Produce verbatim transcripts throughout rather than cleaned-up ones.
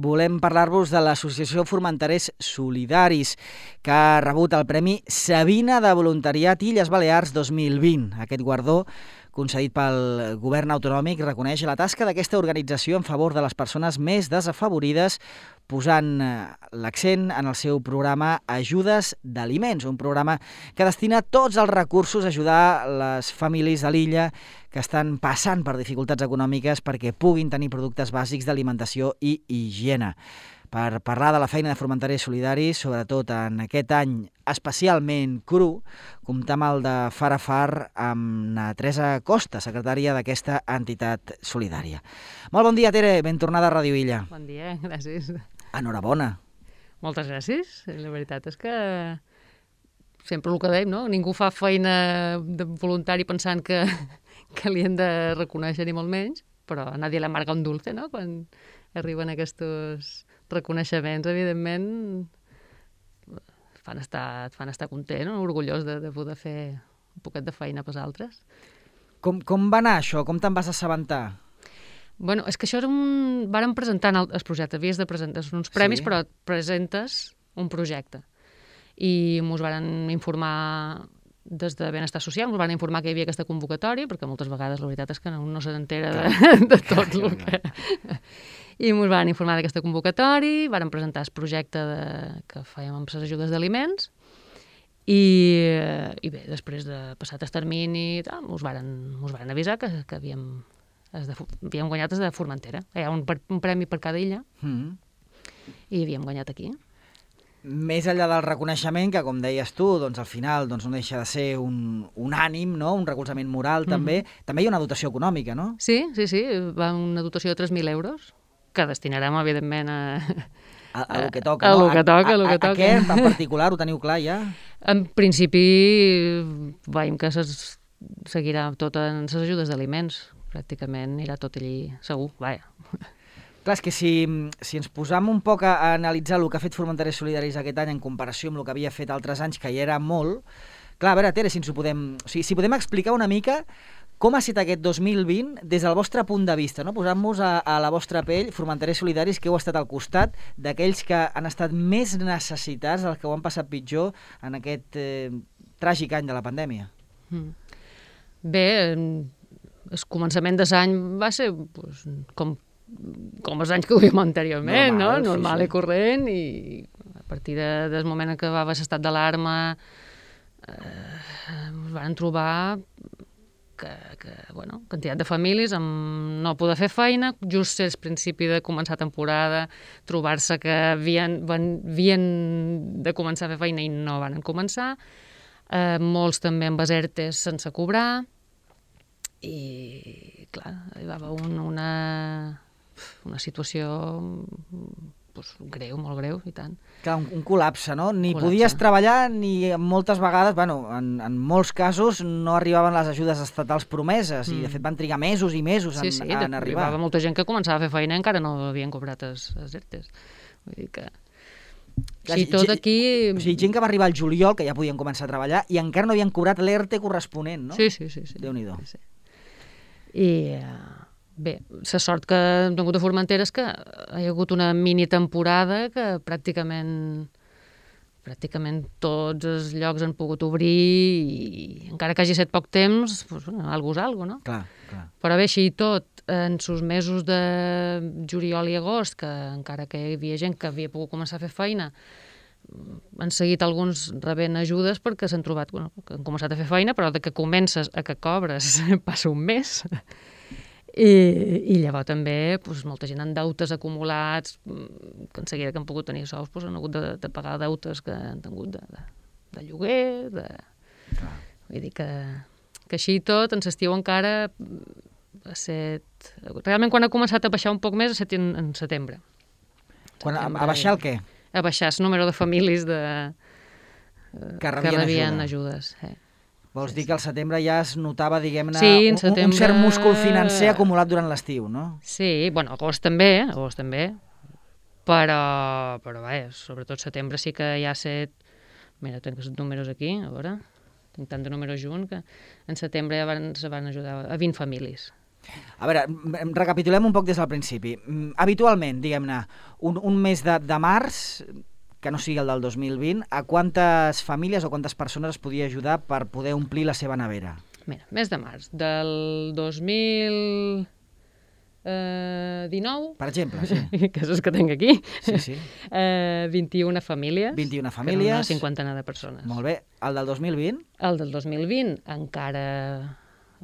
volem parlar-vos de l'Associació Formenterers Solidaris, que ha rebut el Premi Sabina de Voluntariat Illes Balears dos mil vint. Aquest guardó, concedit pel govern autonòmic, reconeix la tasca d'aquesta organització en favor de les persones més desafavorides, posant l'accent en el seu programa Ajudes d'Aliments, un programa que destina tots els recursos a ajudar les famílies de l'illa que estan passant per dificultats econòmiques perquè puguin tenir productes bàsics d'alimentació i higiene. Per parlar de la feina de Formenterers Solidaris, sobretot en aquest any especialment cru, comptam el de far a far amb na Teresa Costa, secretària d'aquesta entitat solidària. Molt bon dia, Tere, ben tornada a Ràdio Illa. Bon dia, gràcies. Enhorabona. Moltes gràcies. La veritat és que sempre el que dèiem, no? Ningú fa feina de voluntari pensant que, que li hem de reconèixer ni molt menys, però a nadie le amarga un dulce, no? Quan arriben aquests reconeixements, evidentment, fan estar, et fan estar content, no? Orgullós de, de poder fer un poquet de feina pels altres. Com, com va anar això? Com te'n vas assabentar? Bueno, és que això era un... Vàrem presentar el, el projecte, havies de presentar uns premis, sí, però et presentes un projecte. I ens varen informar des de Benestar Social, ens van informar que hi havia aquesta convocatòria, perquè moltes vegades la veritat és que no, no se n'entera de, de tot el que... I ens van informar d'aquesta convocatòria, varen presentar el projecte de, que fèiem amb les ajudes d'aliments, i, i bé, després de passat el termini, ens varen, ens varen avisar que, que havíem, de, havíem guanyat des de Formentera. Hi ha un, un premi per cada illa, mm. i havíem guanyat aquí. Més enllà del reconeixement, que com deies tu, doncs al final doncs, no deixa de ser un, un ànim, no? Un recolzament moral, mm-hmm. també. També hi ha una dotació econòmica, no? Sí, sí, sí, va una dotació de tres mil euros, que destinarem, evidentment, a... A, a, a lo que toca, a, no? A, que toca, a, a, a, que toca. A què, en particular, ho teniu clar ja? En principi, veiem que ses, seguirà tot en les ajudes d'aliments. Pràcticament anirà tot allí segur, vaja. Clar, és que si, si ens posam un poc a, a analitzar el que ha fet Formenterers Solidaris aquest any en comparació amb el que havia fet altres anys, que hi era molt, clar, a veure, Tere, si ens ho podem... O sigui, si podem explicar una mica com ha estat aquest dos mil vint des del vostre punt de vista, no? Posant-nos a, a la vostra pell, Formenterers Solidaris, que heu estat al costat d'aquells que han estat més necessitats, dels que ho han passat pitjor en aquest eh, tràgic any de la pandèmia. Mm. Bé, el començament de l'any va ser pues, com, com els anys que ho vèiem anteriorment, normal, no? Normal sí, sí. I corrent, i a partir de, del moment en què va haver l'estat d'alarma eh, ens van trobar que, que bueno, quantitat de famílies amb no poder fer feina, just al principi de començar temporada, trobar-se que havien, havien de començar a fer feina i no van començar, eh, molts també amb ERTEs sense cobrar, i clar, hi va haver un, una, una situació pues, greu, molt greu, i tant. Clar, un, un col·lapse, no? Ni col·lapse. Podies treballar, ni moltes vegades, bueno, en, en molts casos no arribaven les ajudes estatals promeses, mm. i de fet van trigar mesos i mesos sí, en, sí, en arribar. Hi va molta gent que començava a fer feina i encara no havien cobrat els ERTEs. Vull dir que... Clar, sí, tot aquí... O sigui, gent que va arribar al juliol, que ja podien començar a treballar, i encara no havien cobrat l'ERTE corresponent, no? Sí, sí, sí. sí. Déu-n'hi-do. Sí, sí. I bé, la sort que hem tingut a Formentera és que hi ha hagut una mini temporada que pràcticament pràcticament tots els llocs han pogut obrir i encara que hagi estat poc temps, doncs, bueno, algo és algo, no? Clar, clar. Però bé, així i tot, en els mesos de juliol i agost, que encara que hi havia gent que havia pogut començar a fer feina, han seguit alguns rebent ajudes perquè s'han trobat, bueno, que han començat a fer feina, però de que comences a que cobres passa un mes. I, i llavors també doncs, molta gent amb deutes acumulats, que en seguida que han pogut tenir sous doncs, han hagut de, de pagar deutes que han tingut de, de, de lloguer, de... Clar. Vull dir que, que així i tot, en l'estiu encara ha set... Realment quan ha començat a baixar un poc més ha estat en, en setembre. Quan, setembre. A baixar el què? A baixar el número de famílies de, que rebien, que rebien ajuda. ajudes. Eh. Vols sí, dir que al setembre ja es notava, diguem-ne, sí, un, setembre... un cert múscul financer acumulat durant l'estiu, no? Sí, bueno, agost també, agost també, però, però vaja, sobretot setembre sí que ja ha set... Mira, tinc els números aquí, a veure, tinc tant de números junts, que en setembre ja van, se van ajudar a vint famílies. A veure, recapitulem un poc des del principi. Habitualment, diguem-ne, un, un mes de, de març, que no sigui el del dos mil vint, a quantes famílies o quantes persones es podia ajudar per poder omplir la seva nevera? Mira, mes de març del dos mil dinou... Per exemple, sí. Que és el que tinc aquí. Sí, sí. Eh, vint-i-una famílies. vint-i-una famílies. Una cinquantena de persones. Molt bé. El del dos mil vint? El del dos mil vint encara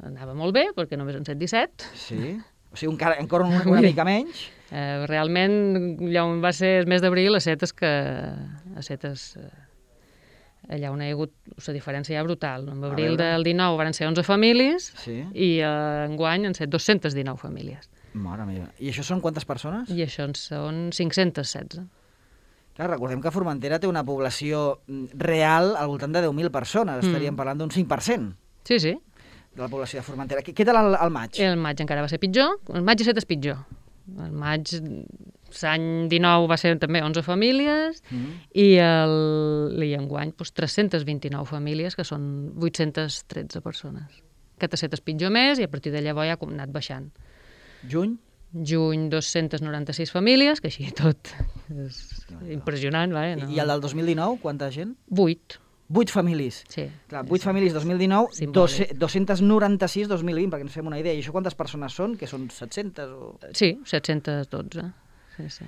anava molt bé, perquè només en set disset. Sí. O sigui, encara, encara una, una mica menys. Eh, realment, allà on va ser el mes d'abril, a Setes, que a Setes... Eh, allà on hi ha hagut la diferència ja brutal. En abril del dinou van ser onze famílies sí. i eh, enguany han set dos-centes dinou famílies. Mare meva. I això són quantes persones? I això en són cinc-centes setze. Clar, recordem que Formentera té una població real al voltant de deu mil persones. Mm. Estaríem parlant d'un cinc per cent. Sí, sí. De la població de Formentera. Què tal el, el maig? El maig encara va ser pitjor. El maig i set és pitjor. El maig, l'any dinou va ser també onze famílies mm. i, el, i enguany doncs, tres-centes vint-i-nou famílies, que són vuit-centes tretze persones. Aquest set és pitjor més i a partir de llavors ja ha anat baixant. Juny? Juny, dos-centes noranta-sis famílies, que així tot és impressionant. Va, eh? No? I el del dos mil dinou, quanta gent? Vuit. Vuit famílies. Sí. Clar, vuit sí. famílies dos mil dinou, dos-centes noranta-sis dos mil vint, perquè ens fem una idea. I això quantes persones són? Que són set-centes? O... Sí, set-centes dotze. Sí, sí.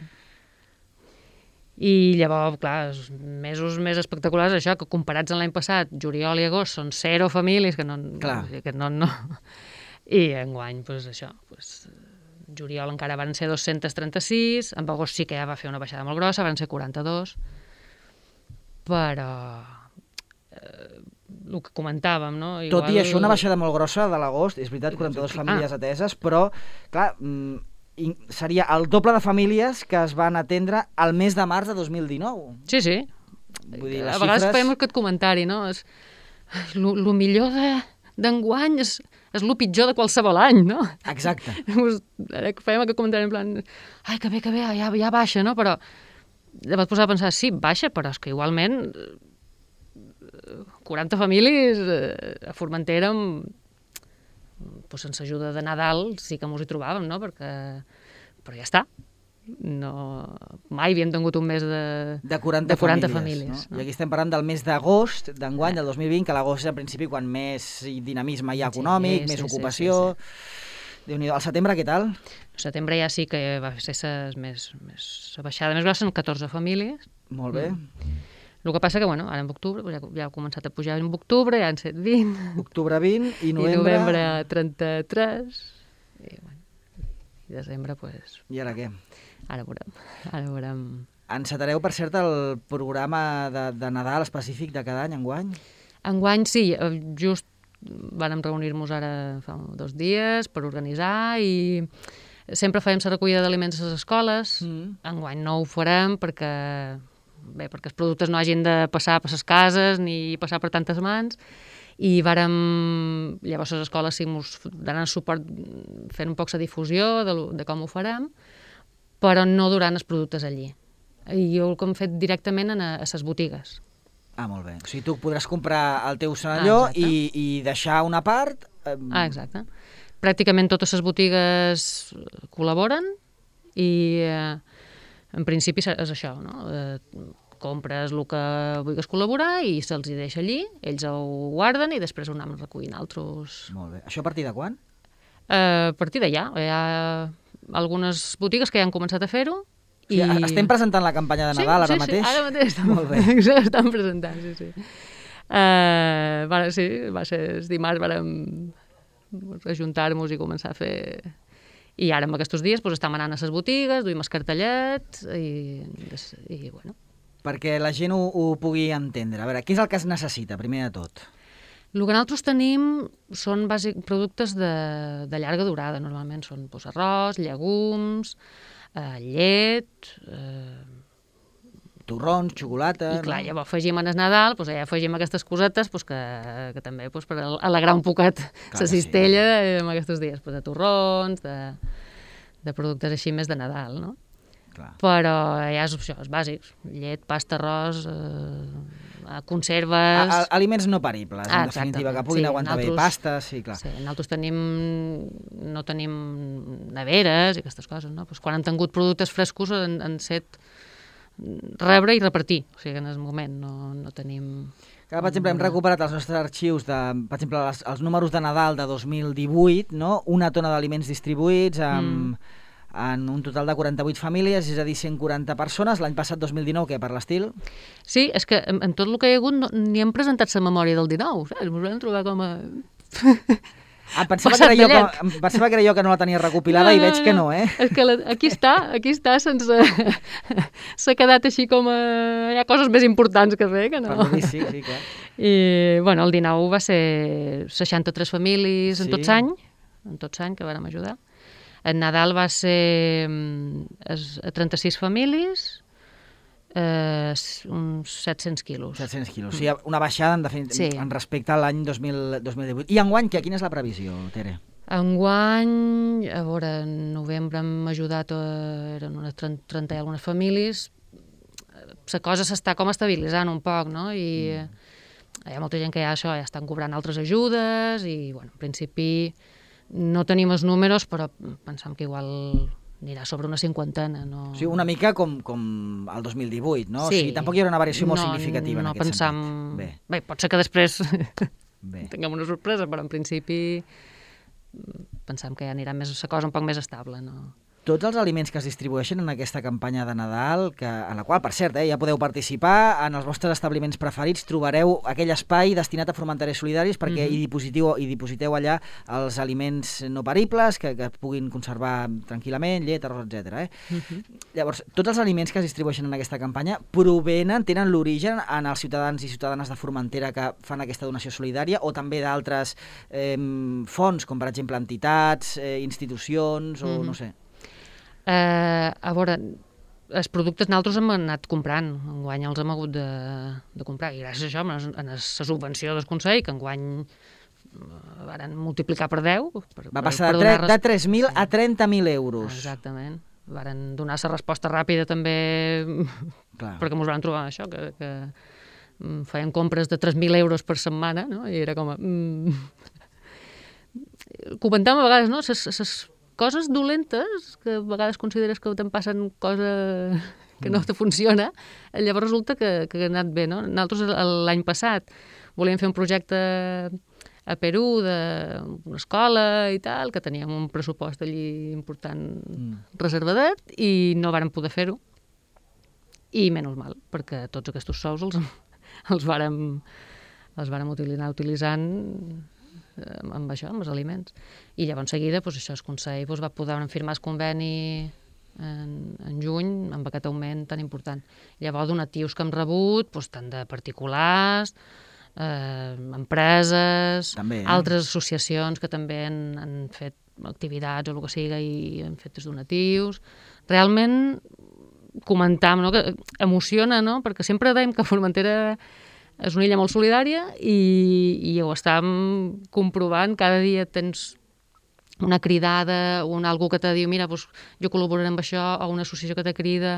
I llavors, clar, els mesos més espectaculars, això, que comparats amb l'any passat, juliol i agost, són zero famílies, que no... Clar. Que no, no. I enguany, doncs això, doncs, juliol encara van ser dos-centes trenta-sis, en agost sí que ja va fer una baixada molt grossa, van ser quaranta-dos, però... el que comentàvem, no? Igual... Tot i això, una baixada molt grossa de l'agost, és veritat, quaranta-dues famílies ah. ateses, però, clar, seria el doble de famílies que es van atendre al mes de març de dos mil dinou. Sí, sí. Vull dir, a les vegades xifres... fem aquest comentari, no? És... El millor d'enguany de... és, és el pitjor de qualsevol any, no? Exacte. Fèiem aquest comentari en plan, ai, que bé, que bé, ja, ja baixa, no? Però vas posar a pensar, sí, baixa, però és que igualment... quaranta famílies eh, a Formentera pues, sense ajuda de Nadal sí que mos hi trobàvem, no? Perquè... però ja està. No... mai havíem tingut un mes de, de quaranta, de quaranta famílies. famílies no? No? I aquí estem parlant del mes d'agost d'enguany, del dos mil vint, que l'agost és al principi quan més dinamisme hi ha econòmic, sí, més sí, ocupació... Sí, sí, sí. Déu-n'hi-do. Al setembre què tal? Al setembre ja sí que va ser ses més, més baixada més grossa, en catorze famílies. Molt bé. Mm. El que passa que, bueno, ara en octubre, ja, ja ha començat a pujar en octubre, ja han set vint. Octubre vint i novembre... I novembre trenta-tres. I, bueno, i desembre, doncs... I ara què? Ara veurem. Ara veurem. Encetareu, per cert, el programa de, de Nadal específic de cada any, enguany? Enguany, sí. Just vàrem reunir-nos ara fa dos dies per organitzar i sempre fèiem la recollida d'aliments a les escoles. Mm. Enguany no ho farem perquè... bé, perquè els productes no hagin de passar per les cases ni passar per tantes mans, i vàrem, llavors les escoles sí mos donen suport fent un poc la difusió de, de com ho farem, però no durant els productes allí. I jo el que hem fet directament a, a les botigues. Ah, molt bé. O sigui, tu podràs comprar el teu senalló ah, i, i deixar una part... Eh... Ah, exacte. Pràcticament totes les botigues col·laboren i... Eh, en principi és això, no? Eh, compres el que vulguis col·laborar i se'ls hi deixa allí, ells ho guarden i després ho anem recollint altres... Molt bé. Això a partir de quan? Eh, a partir d'allà. Hi ha algunes botigues que ja han començat a fer-ho. I... Sí, estem presentant la campanya de Nadal sí, ara sí, mateix? Sí, ara mateix. Molt bé. Estan presentant, sí, sí. Eh, va, sí, va ser el dimarts, vàrem ajuntar-nos i començar a fer... I ara, en aquests dies, doncs, estem anant a les botigues, duim els cartellets i, i bueno. Perquè la gent ho, ho pugui entendre. A veure, què és el que es necessita, primer de tot? El que nosaltres tenim són bàsic, productes de, de llarga durada, normalment són doncs, arròs, llegums, eh, llet... Eh, torrons, xocolata... I clar, no? llavors afegim en el Nadal, doncs, ja afegim aquestes cosetes doncs, que, que també doncs, per alegrar un poquet la cistella sí, en aquests dies, doncs, de torrons, de, de productes així més de Nadal, no? Clar. Però ja és, això, és bàsic. Llet, pasta, arròs, eh, conserves... A, a, aliments no peribles, en ah, definitiva, que puguin sí, aguantar bé pastes, sí, clar. Sí, nosaltres tenim, no tenim neveres i aquestes coses, no? Pues quan han tingut productes frescos han, han set rebre i repartir, o sigui, en el moment no, no tenim... Que, per exemple, hem recuperat els nostres arxius, de, per exemple, els, els números de Nadal de dos mil divuit, no? Una tona d'aliments distribuïts amb, mm. en un total de quaranta-vuit famílies, és a dir, cent quaranta persones. L'any passat, dos mil dinou, què, per l'estil? Sí, és que en, en tot el que hi ha hagut no, ni hem presentat la memòria del dinou, saps? Ens vam trobar com a... Ah, pensava, que era jo que, pensava que era jo que no la tenia recopilada no, no, i veig que no, eh? És que la, aquí està, aquí està, sense... s'ha quedat així com a... Hi ha coses més importants que fer, que no? Per dir, sí, sí, clar. I, bueno, el dinou va ser seixanta-tres famílies en sí. tot l'any, en tot l'any que vàrem ajudar. El Nadal va ser trenta-sis famílies, Eh, uns set-cents quilos. set-cents quilos. O sigui, una baixada en, definit... sí. en respecte a l'any dos mil divuit. I enguany, quina és la previsió, Tere? Enguany, a veure, en novembre hem ajudat, a... eren unes trenta i algunes famílies. La cosa s'està com estabilitzant un poc, no? I mm. hi ha molta gent que ja, això, ja estan cobrant altres ajudes i, bueno, en principi no tenim els números, però pensam que igual... anirà sobre una cinquantena. No... O sigui, una mica com, com el dos mil divuit, no? Sí. O sigui, tampoc hi haurà una variació molt no, significativa no en aquest pensam... sentit. Bé. Bé, pot ser que després Bé. tinguem una sorpresa, però en principi pensam que ja anirà més, la cosa un poc més estable, no? Tots els aliments que es distribueixen en aquesta campanya de Nadal, que, en la qual, per cert, eh, ja podeu participar, en els vostres establiments preferits trobareu aquell espai destinat a formenters solidaris perquè mm-hmm. hi, dipositeu, hi dipositeu allà els aliments no peribles que, que puguin conservar tranquil·lament, llet, arròs, etcètera. Eh? Mm-hmm. Llavors, tots els aliments que es distribueixen en aquesta campanya provenen, tenen l'origen en els ciutadans i ciutadanes de Formentera que fan aquesta donació solidària o també d'altres eh, fonts, com per exemple entitats, eh, institucions o mm-hmm. no sé. Uh, a veure, els productes nosaltres hem anat comprant, enguany els hem hagut de, de comprar, i gràcies a això, en la subvenció del Consell, que enguany uh, varen multiplicar per deu. Per, Va passar per, per de, de tres mil sí. a trenta mil euros. Exactament. Varen donar la resposta ràpida també, clar. Perquè ens van trobar això, que, que um, feien compres de tres mil euros per setmana, no? I era com a... Mm... Comentàvem a vegades, no?, ses, ses coses dolentes, que a vegades consideres que te'n passen cosa que no te funciona, llavors resulta que, que ha anat bé, no? Nosaltres l'any passat volíem fer un projecte a Perú d'una escola i tal, que teníem un pressupost allí important mm. reservadet i no vàrem poder fer-ho. I menys mal, perquè tots aquests sous els, els vàrem, els vàrem utilitzar utilitzant amb això, amb els aliments. I llavors en seguida, doncs, això, el Consell doncs, va poder firmar el conveni en, en juny amb aquest augment tan important. Llavors, donatius que hem rebut, doncs, tant de particulars, eh, empreses, també, eh? altres associacions que també han, han fet activitats o el que siga i han fet els donatius. Realment, comentam, no? Que emociona, no? Perquè sempre dèiem que Formentera és una illa molt solidària i, i ho estem comprovant. Cada dia tens una cridada o un algú que te diu mira, doncs, jo col·laboraré amb això, o una associació que te crida.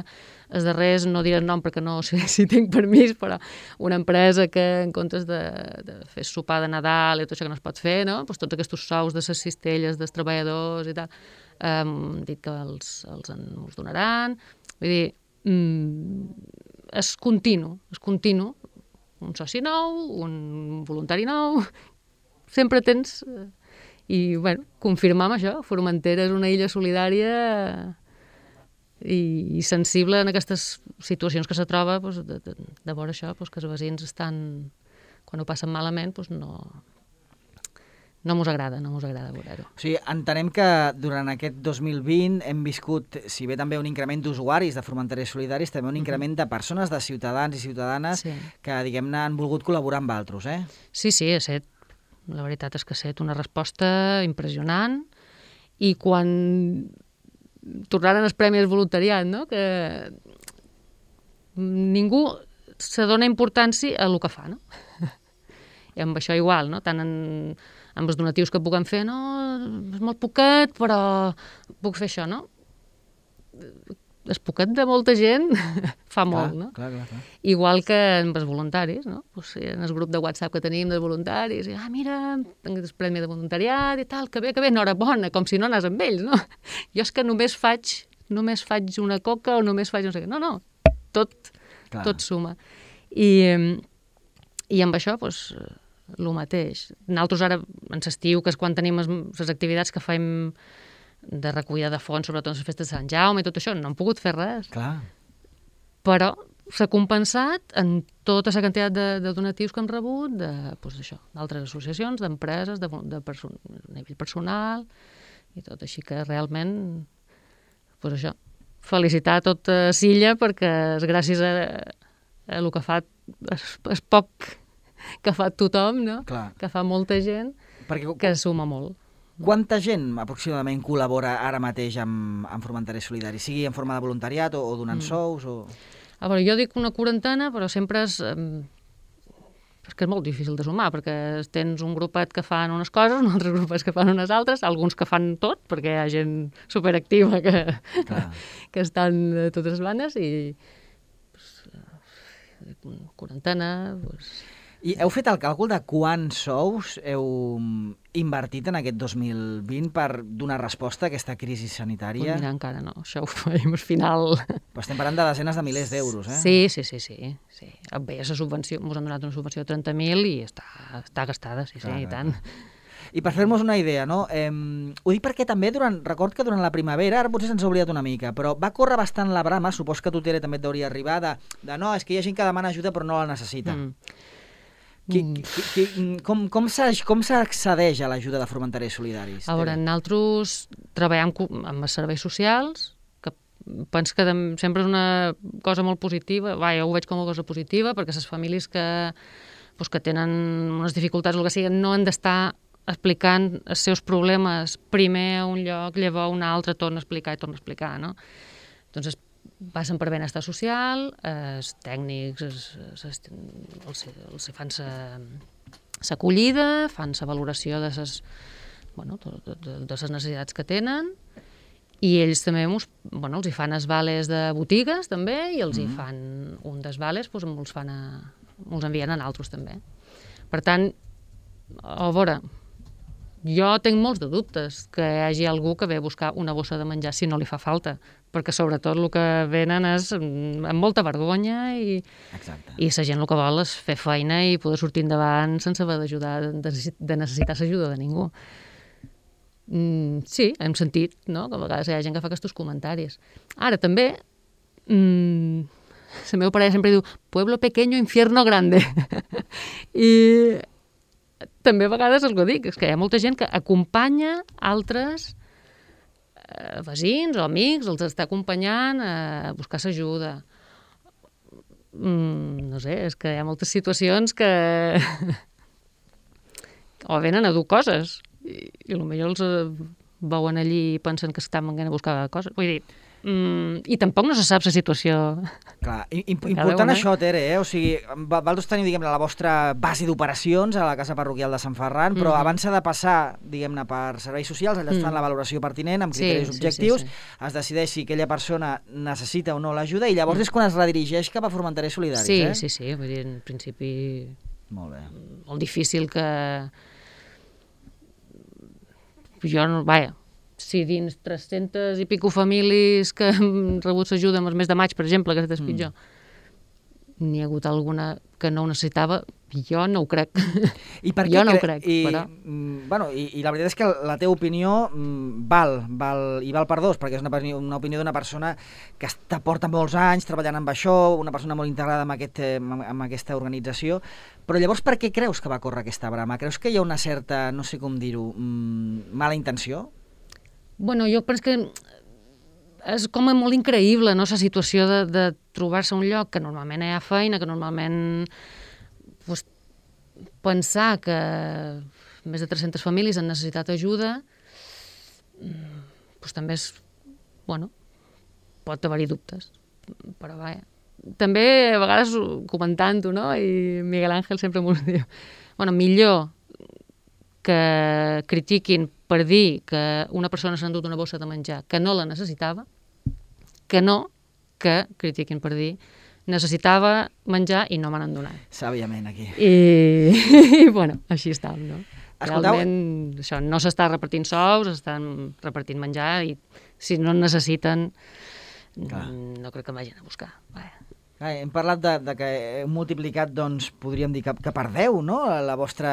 Els darrers, no diré el nom perquè no sé si tinc permís, però una empresa que en comptes de, de fer sopar de Nadal i tot això que no es pot fer, no? Doncs tots aquests sous de les cistelles dels treballadors i tal, hem dit que els, els ens donaran. Vull dir, mm, és continu, és continu. Un soci nou, un voluntari nou, sempre tens... I, bueno, confirmam això, Formentera és una illa solidària i, i sensible en aquestes situacions que se troba, doncs, de, de, de veure això, doncs, que els veïns estan, quan ho passen malament, doncs no... No mos agrada, no mos agrada veure-ho. O sigui, entenem que durant aquest dos mil vint hem viscut, si bé també un increment d'usuaris de Formenteres Solidaris, també un increment de persones, de ciutadans i ciutadanes sí. que, diguem-ne, han volgut col·laborar amb altres, eh? Sí, sí, ha estat, la veritat és que ha estat una resposta impressionant i quan tornaren els premis voluntariat, no?, que ningú se dona importància a el que fa, no? I amb això igual, no?, tant en... amb els donatius que puguem fer, no, és molt poquet, però puc fer això, no? el poquet de molta gent fa molt, no? Clar, clar, clar. Igual que amb els voluntaris, no? Pues, en el grup de WhatsApp que tenim dels voluntaris, i, ah, mira, tinc el premi de voluntariat i tal, que bé, que bé, enhorabona, com si no anés amb ells, no? Jo és que només faig, només faig una coca o només faig no sé què. No, no, tot, clar. Tot suma. I, i amb això, doncs, el mateix. Nosaltres ara, en l'estiu, que és quan tenim les activitats que fem de recollida de fons, sobretot les festes de Sant Jaume i tot això, no hem pogut fer res. Clar. Però s'ha compensat en tota la quantitat de, de donatius que hem rebut de, doncs això, d'altres associacions, d'empreses, de, de person, nivell personal i tot. Així que realment, doncs això, felicitar a tota Silla perquè és gràcies a, a el que fa, és, és poc que fa tothom, no? Clar. Que fa molta gent, perquè, que suma molt. Quanta gent aproximadament col·labora ara mateix amb, amb Formenterers Solidaris? Sigui en forma de voluntariat o, o donant mm. sous? O... A veure, jo dic una quarantena, però sempre és... Eh, és que és molt difícil de sumar, perquè tens un grupet que fan unes coses, un altre grupet que fan unes altres, alguns que fan tot, perquè hi ha gent superactiva que, que estan a totes les bandes, i pues, una quarantena... Pues... I heu fet el càlcul de quants sous heu invertit en aquest dos mil vint per donar resposta a aquesta crisi sanitària? Pues mira, encara no, això ho farem al final. Però estem parlant de desenes de milers d'euros, eh? Sí, sí, sí, sí. sí. Bé, la subvenció, ens han donat una subvenció de trenta mil i està, està gastada, sí, clar, sí, i tant. I per fer-nos una idea, no? Eh, ho dic perquè també, durant, record que durant la primavera, ara potser se'ns ha oblidat una mica, però va córrer bastant la brama, supos que a tu, Tere, també et deuria arribar, de, de no, és que hi ha gent que demana ajuda però no la necessita. Mm. Qui, qui, qui, com com s'accedeix a l'ajuda de Formenterers Solidaris? A veure, nosaltres treballem amb els serveis socials, que penso que sempre és una cosa molt positiva, va, jo ho veig com una cosa positiva, perquè les famílies que, doncs, que tenen unes dificultats o el que sigui, no han d'estar explicant els seus problemes primer a un lloc, llavors a un altre, torna a explicar i torna a explicar, no? Doncs passen per benestar social, els tècnics els, els, els, els fan l'acollida, fan la valoració de les bueno, de, de, de les necessitats que tenen, i ells també mos, bueno, els hi fan els vales de botigues també, i els mm. hi fan un dels vales, doncs, els, fan a, els envien a altres també. Per tant, a veure, jo tinc molts de dubtes que hi hagi algú que ve a buscar una bossa de menjar si no li fa falta, perquè sobretot el que venen és amb molta vergonya i, i la gent el que vol és fer feina i poder sortir endavant sense haver d'ajudar, de necessitar l'ajuda de ningú. Mm, sí, hem sentit, no?, que a vegades hi ha gent que fa aquests comentaris. Ara, també, mm, la meva parella sempre diu pueblo pequeño, infierno grande. I també a vegades el que dic, és que hi ha molta gent que acompanya altres eh, veïns o amics, els està acompanyant a buscar l'ajuda. Mm, no sé, és que hi ha moltes situacions que o venen a dur coses i, i potser els veuen allí i pensen que estan venint a buscar coses. Vull dir, Mm, i tampoc no se sap la situació. Clar, important això, Tere, eh? O sigui, vosaltres teniu, diguem-ne, la vostra base d'operacions a la Casa Parroquial de Sant Ferran, però mm. abans s'ha de passar, diguem-ne, per serveis socials, allà es fan mm. la valoració pertinent, amb criteris sí, objectius, sí, sí, sí. es decideix si aquella persona necessita o no l'ajuda, i llavors mm. és quan es redirigeix cap a Formenterers Solidaris, sí, eh? Sí, sí, sí, vull dir, en principi... Molt bé. Molt difícil que... Jo no... Vaja, si dins tres-centes i pico famílies que han rebut l'ajuda en el mes de maig, per exemple, que és mm. pitjor, n'hi ha hagut alguna que no ho necessitava, jo no ho crec. I per jo què no cre... ho crec. I, però... bueno, i, i la veritat és que la teva opinió val, val, i val per dos, perquè és una, una opinió d'una persona que està, porta molts anys treballant amb això, una persona molt integrada amb, aquest, amb aquesta organització, però llavors per què creus que va córrer aquesta brama? Creus que hi ha una certa, no sé com dir-ho, mala intenció? Bueno, jo penso que és com molt increïble, no?, la situació de, de trobar-se un lloc que normalment hi ha feina, que normalment pues, pensar que més de tres-centes famílies han necessitat ajuda, pues, també és, bueno, pot haver-hi dubtes, però vaja. També a vegades comentant-ho, no?, i Miguel Ángel sempre m'ho diu, bueno, millor que critiquin per dir que una persona s'ha endut una bossa de menjar que no la necessitava, que no que, critiquin per dir, necessitava menjar i no me n'han donat. Sàviament, aquí. I, i bueno, així estàvem, no? Escolteu... Realment, això, no s'està repartint sous, estan repartint menjar i si no en necessiten, Clar. no crec que vagin a buscar. Vaja. Clar, hem parlat de, de que heu multiplicat, doncs, podríem dir que, que per deu, no?, la vostra,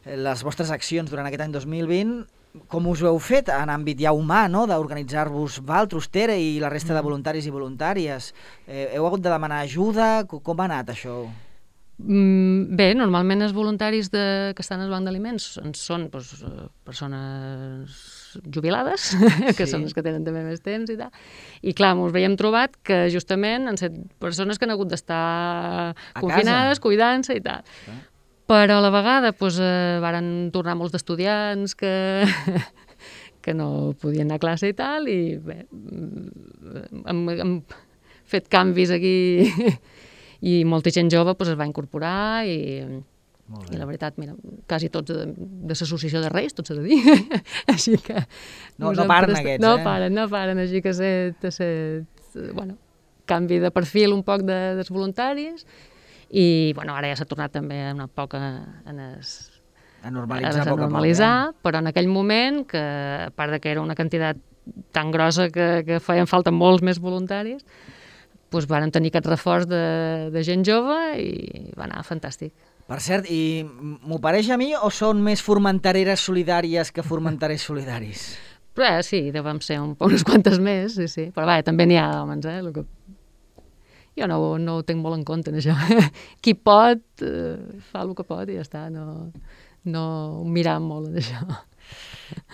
les vostres accions durant aquest any dos mil vint. Com us ho heu fet en àmbit ja humà, no?, d'organitzar-vos vosaltres, Tere, i la resta de voluntaris i voluntàries? Eh, heu hagut de demanar ajuda? Com ha anat això? Mm, bé, normalment els voluntaris de, que estan al banc d'aliments són doncs, persones jubilades, que sí. són les que tenen també més temps i tal. I clar, ens veiem trobat que justament han set persones que han hagut d'estar confinades, cuidant-se i tal. Ah. Però a la vegada doncs, eh, varen tornar molts d'estudiants que, que no podien anar a classe i tal, i bé, hem, hem fet canvis aquí i molta gent jove doncs, es va incorporar i, i la veritat, mira, quasi tots de, de l'associació de Reis, tot s'ha de dir. Així que... No, no paren aquests, no eh? No paren, no paren, així que set, set, bueno, canvi de perfil un poc de, dels voluntaris i, bueno, ara ja s'ha tornat també un poc a, a, es, a normalitzar, a, a normalitzar poc, eh? Però en aquell moment, que a part de que era una quantitat tan grossa que, que feien falta molts més voluntaris, doncs varen tenir aquest reforç de, de gent jove i va anar fantàstic. Per cert, i m'ho pareix a mi o són més formentereres solidàries que formenterers solidaris? Però eh, sí, devem ser un, unes quantes més, sí, sí. Però vaja, també n'hi ha d'homes, eh? El que... Jo no, no ho tinc molt en compte, en això. Qui pot, eh, fa el que pot i ja està, no, no mirar molt en això.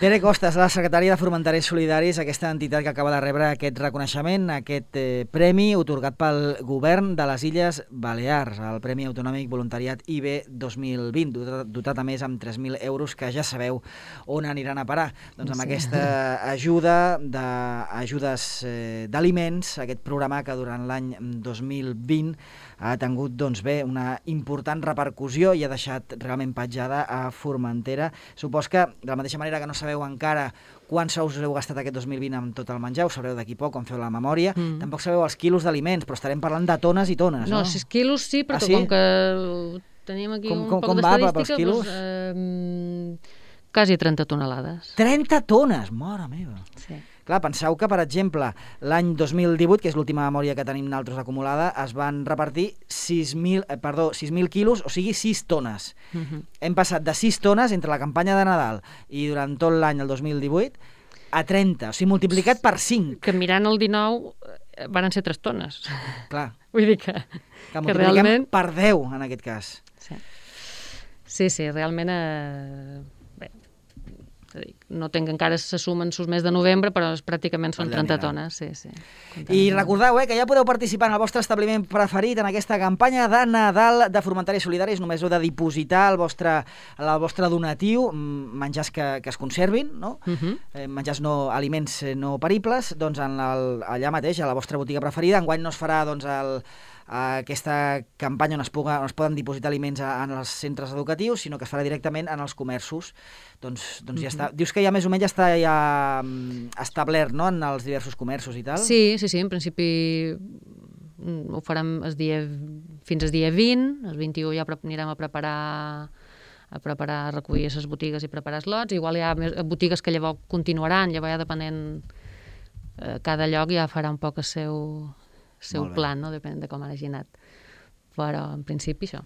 Tere Costas, la secretària de Formenterers Solidaris, aquesta entitat que acaba de rebre aquest reconeixement, aquest eh, premi otorgat pel govern de les Illes Balears, el Premi Autonòmic Voluntariat I B dos mil vint, dotat, dotat a més amb tres mil euros, que ja sabeu on aniran a parar. Doncs amb sí. aquesta ajuda d'ajudes eh, d'aliments, aquest programa que durant l'any dos mil vint ha tingut doncs, bé, una important repercussió i ha deixat realment petjada a Formentera. Supos que, de la mateixa manera que no sabeu encara quants sous heu gastat aquest dos mil vint amb tot el menjar, ho sabreu d'aquí poc, quan feu la memòria, mm. tampoc sabeu els quilos d'aliments, però estarem parlant de tones i tones, no? No, sis quilos sí, però ah, sí? com que tenim aquí com, un com, poc d'estadística, doncs, eh, quasi trenta tonelades. trenta tones? Mare meva! Sí. Clar, penseu que, per exemple, l'any dos mil divuit, que és l'última memòria que tenim nosaltres acumulada, es van repartir sis mil, eh, perdó, sis mil quilos, o sigui, sis tones. Uh-huh. Hem passat de sis tones entre la campanya de Nadal i durant tot l'any, el dos mil divuit, a trenta, o sigui, multiplicat per cinc. Que mirant el dinou van ser tres tones. Clar. Vull dir que... Que multipliquem realment... per deu, en aquest cas. Sí, sí, sí realment... Eh... No tinc encara se sumen sus mes de novembre, però pràcticament són trenta tones. Sí, sí. I recordeu eh, que ja podeu participar en el vostre establiment preferit en aquesta campanya de Nadal de Formenteris Solidaris. Només heu de dipositar el vostre, el vostre donatiu, menjars que, que es conservin, no? Uh-huh. eh, menjars no, aliments no peribles, doncs en el, allà mateix, a la vostra botiga preferida. Enguany no es farà doncs, el, aquesta campanya on es, puga, on es poden dipositar aliments en els centres educatius, sinó que es farà directament en els comerços. Doncs, doncs ja està. Dius que ja més o menys ja està ja establert, no?, en els diversos comerços i tal? Sí, sí, sí, en principi ho farem el dia, fins al dia vint, el vint-i-u ja anirem a preparar a preparar, a recollir les botigues i preparar els lots. Igual hi ha més botigues que llavors continuaran, llavors ja depenent, eh, cada lloc ja farà un poc el seu, seu plan, no? Depèn de com hagi anat. Però en principi això.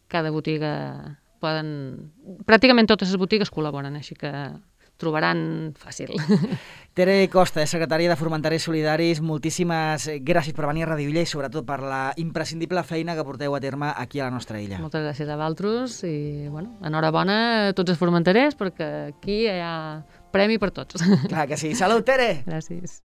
Cada botiga poden... Pràcticament totes les botigues col·laboren, així que trobaran fàcil. Tere Costa, secretària de Formenterers Solidaris, moltíssimes gràcies per venir a Radio Illa i sobretot per la imprescindible feina que porteu a terme aquí a la nostra illa. Moltes gràcies a vosaltres i, bueno, enhorabona a tots els formenterers perquè aquí hi ha premi per tots. Clar que sí. Salut, Tere! Gràcies.